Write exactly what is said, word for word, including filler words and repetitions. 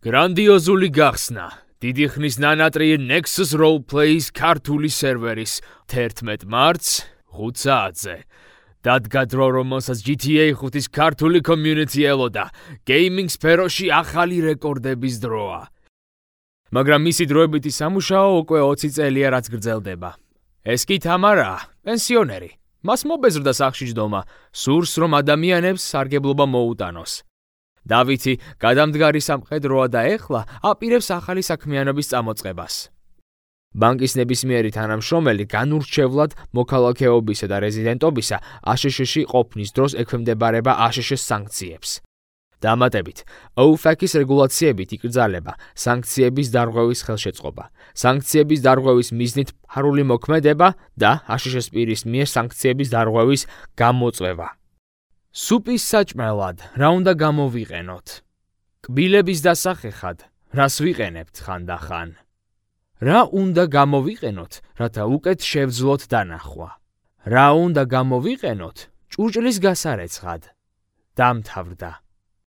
გრანდიოზული გახსნა. დიდი ხნის ნანატრიე Nexus Roleplays ქართული სერვერის თერთმეტ მარტს ხუთ საათზე. დადგა დრო, რომელსაც G T A ხუთის ქართული community ელოდა. Gaming სფეროში ახალი რეკორდების დროა. მაგრამ მისი დროებითი სამუშაო უკვე ოცი წელია რაც გრძელდება. ეს კი თამარაა, პენსიონერი. მას მობეზრდა სახლში ჯდომა, სურს რომ ადამიანებს სარგებლობა მოუტანოს. დავითი გადამდგარი სამხედროა და ეხლა აპირებს ახალი საქმიანობის წამოწყებას. ბანკის ნებისმიერი თანამშრომელი განურჩევლად მოქალაქეობისა და რეზიდენტობისა A S Š-ში ყოფნის დროს ექვემდებარება A S Š-ის სანქციებს. დამატებით, O F A C-ის რეგულაციებით იკრძალება სანქციების დარღვევის ხელშეწყობა, სანქციების დარღვევის მიზნით ფარული მოქმედება და A S Š-ის პირის მიერ სანქციების დარღვევის გამოწვევა. სუპის საჭმელად რა უნდა გამოვიყენოთ? კბილების დასახეხად რას ვიყენებთ ხანდახან? რა უნდა გამოვიყენოთ, რათა უკეთ შევძლოთ დანახვა? რა უნდა გამოვიყენოთ ჭურჭლის გასარეცხად? დამთავრდა.